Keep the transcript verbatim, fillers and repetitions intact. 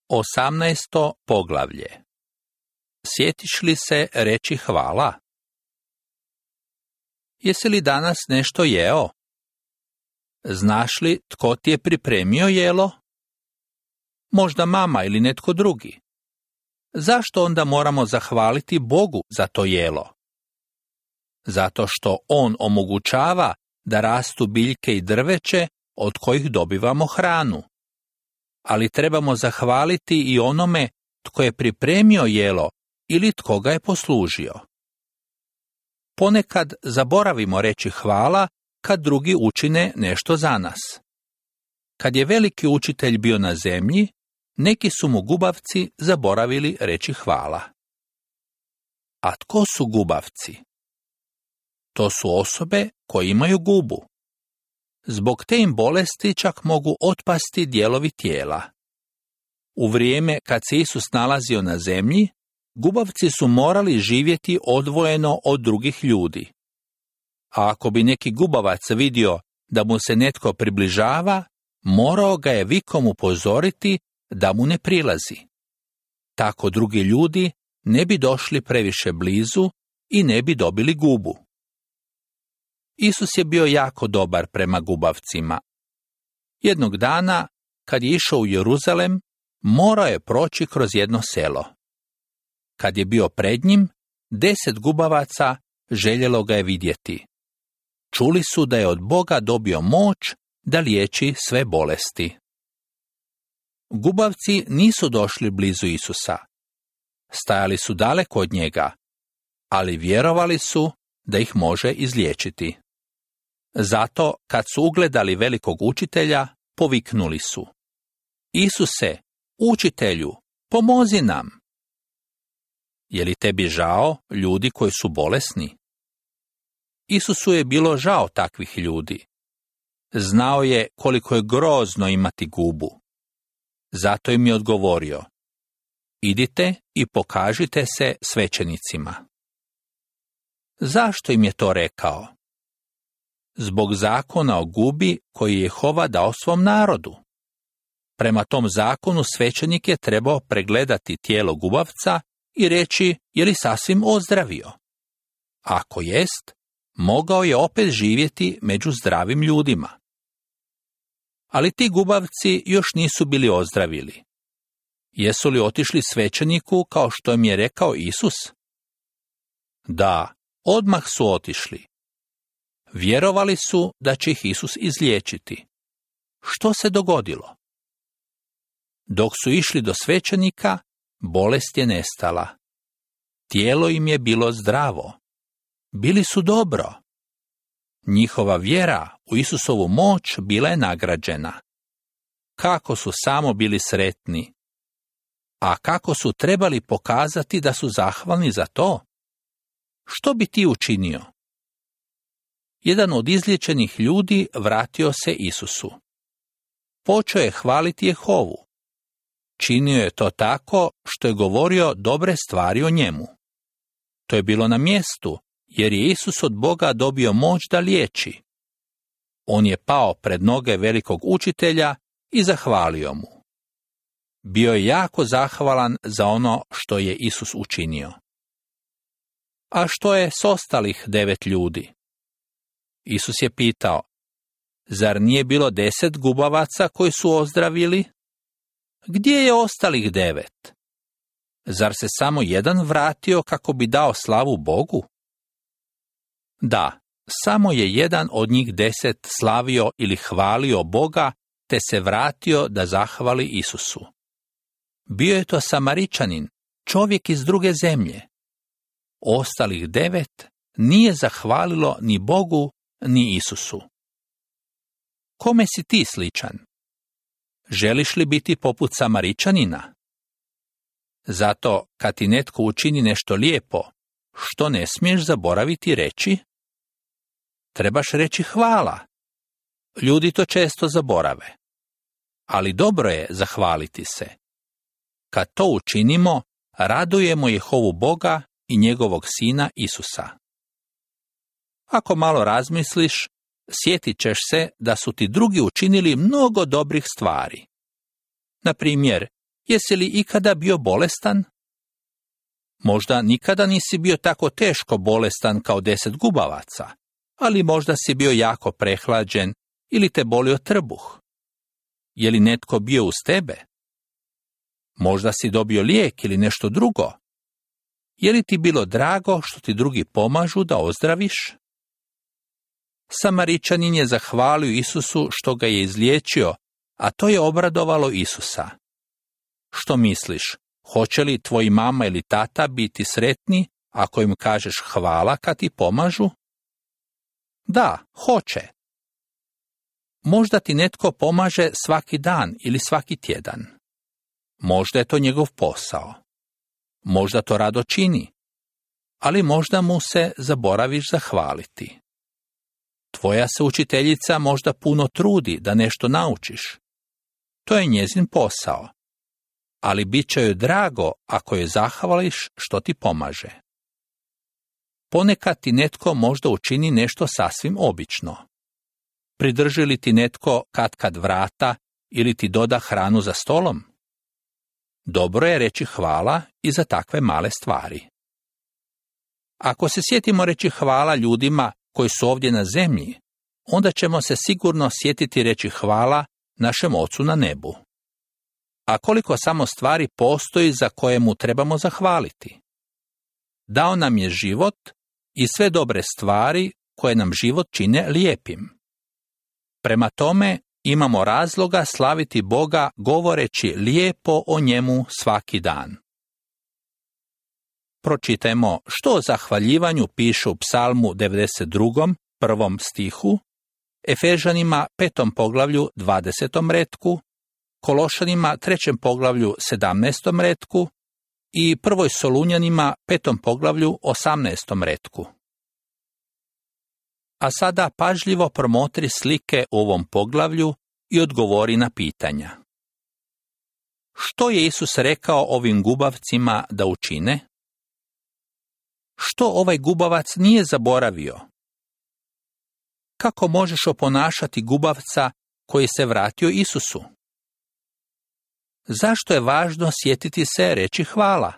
Osamnaesto poglavlje. Sjetiš li se reći hvala? Jesi li danas nešto jeo? Znaš li tko ti je pripremio jelo? Možda mama ili netko drugi. Zašto onda moramo zahvaliti Bogu za to jelo? Zato što On omogućava da rastu biljke i drveće od kojih dobivamo hranu. Ali trebamo zahvaliti i onome tko je pripremio jelo ili tko ga je poslužio. Ponekad zaboravimo reći hvala kad drugi učine nešto za nas. Kad je veliki učitelj bio na zemlji, neki su mu gubavci zaboravili reći hvala. A tko su gubavci? To su osobe koje imaju gubu. Zbog te im bolesti čak mogu otpasti dijelovi tijela. U vrijeme kad se Isus nalazio na zemlji, gubavci su morali živjeti odvojeno od drugih ljudi. A ako bi neki gubavac vidio da mu se netko približava, morao ga je vikom upozoriti da mu ne prilazi. Tako drugi ljudi ne bi došli previše blizu i ne bi dobili gubu. Isus je bio jako dobar prema gubavcima. Jednog dana, kad je išao u Jeruzalem, morao je proći kroz jedno selo. Kad je bio pred njim, deset gubavaca željelo ga je vidjeti. Čuli su da je od Boga dobio moć da liječi sve bolesti. Gubavci nisu došli blizu Isusa. Stajali su daleko od njega, ali vjerovali su da ih može izliječiti. Zato, kad su ugledali velikog učitelja, poviknuli su: Isuse, učitelju, pomozi nam! Je li tebi žao ljudi koji su bolesni? Isusu je bilo žao takvih ljudi. Znao je koliko je grozno imati gubu. Zato im je odgovorio: idite i pokažite se svećenicima. Zašto im je to rekao? Zbog zakona o gubi koji je Jehova dao svom narodu. Prema tom zakonu svećenik je trebao pregledati tijelo gubavca i reći je li sasvim ozdravio. Ako jest, mogao je opet živjeti među zdravim ljudima. Ali ti gubavci još nisu bili ozdravili. Jesu li otišli svećeniku kao što im je rekao Isus? Da, odmah su otišli. Vjerovali su da će ih Isus izliječiti. Što se dogodilo? Dok su išli do svećenika, bolest je nestala. Tijelo im je bilo zdravo. Bili su dobro. Njihova vjera u Isusovu moć bila je nagrađena. Kako su samo bili sretni. A kako su trebali pokazati da su zahvalni za to? Što bi ti učinio? Jedan od izliječenih ljudi vratio se Isusu. Počeo je hvaliti Jehovu. Činio je to tako što je govorio dobre stvari o njemu. To je bilo na mjestu, jer je Isus od Boga dobio moć da liječi. On je pao pred noge velikog učitelja i zahvalio mu. Bio je jako zahvalan za ono što je Isus učinio. A što je s ostalih devet ljudi? Isus je pitao: zar nije bilo deset gubavaca koji su ozdravili? Gdje je ostalih devet? Zar se samo jedan vratio kako bi dao slavu Bogu? Da, samo je jedan od njih deset slavio ili hvalio Boga, te se vratio da zahvali Isusu. Bio je to Samaričanin, čovjek iz druge zemlje. Ostalih devet nije zahvalilo ni Bogu, ni Isusu. Kome si ti sličan? Želiš li biti poput Samaričanina? Zato, kad ti netko učini nešto lijepo, što ne smiješ zaboraviti reći? Trebaš reći hvala. Ljudi to često zaborave. Ali dobro je zahvaliti se. Kad to učinimo, radujemo Jehovu Boga i njegovog Sina Isusa. Ako malo razmisliš, sjetit ćeš se da su ti drugi učinili mnogo dobrih stvari. Na primjer, Jesi li ikada bio bolestan? Možda nikada nisi bio tako teško bolestan kao deset gubavaca, ali možda si bio jako prehlađen ili te bolio trbuh. Je li netko bio uz tebe? Možda si dobio lijek ili nešto drugo. Je li ti bilo drago što ti drugi pomažu da ozdraviš? Samaričanin je zahvalio Isusu što ga je izliječio, a to je obradovalo Isusa. Što misliš, hoće li tvoji mama ili tata biti sretni ako im kažeš hvala kad ti pomažu? Da, hoće. Možda ti netko pomaže svaki dan ili svaki tjedan. Možda je to njegov posao. Možda to rado čini, ali možda mu se zaboraviš zahvaliti. Tvoja se učiteljica možda puno trudi da nešto naučiš. To je njezin posao, ali bit će joj drago ako joj zahvališ što ti pomaže. Ponekad ti netko možda učini nešto sasvim obično. Pridrži li ti netko katkad vrata ili ti doda hranu za stolom? Dobro je reći hvala i za takve male stvari. Ako se sjetimo reći hvala ljudima koji su ovdje na zemlji, onda ćemo se sigurno sjetiti reći hvala našem Ocu na nebu. A koliko samo stvari postoji za koje mu trebamo zahvaliti? Dao nam je život i sve dobre stvari koje nam život čine lijepim. Prema tome, imamo razloga slaviti Boga govoreći lijepo o njemu svaki dan. Pročitajmo što o zahvaljivanju piše u Psalmu devedeset drugom prvom stihu, Efežanima petom poglavlju dvadesetom retku, Kološanima trećem poglavlju sedamnaestom retku i prvoj Solunjanima petom poglavlju osamnaestom retku. A sada pažljivo promotri slike u ovom poglavlju i odgovori na pitanja. Što je Isus rekao ovim gubavcima da učine? Što ovaj gubavac nije zaboravio? Kako možeš oponašati gubavca koji se vratio Isusu? Zašto je važno sjetiti se reći hvala?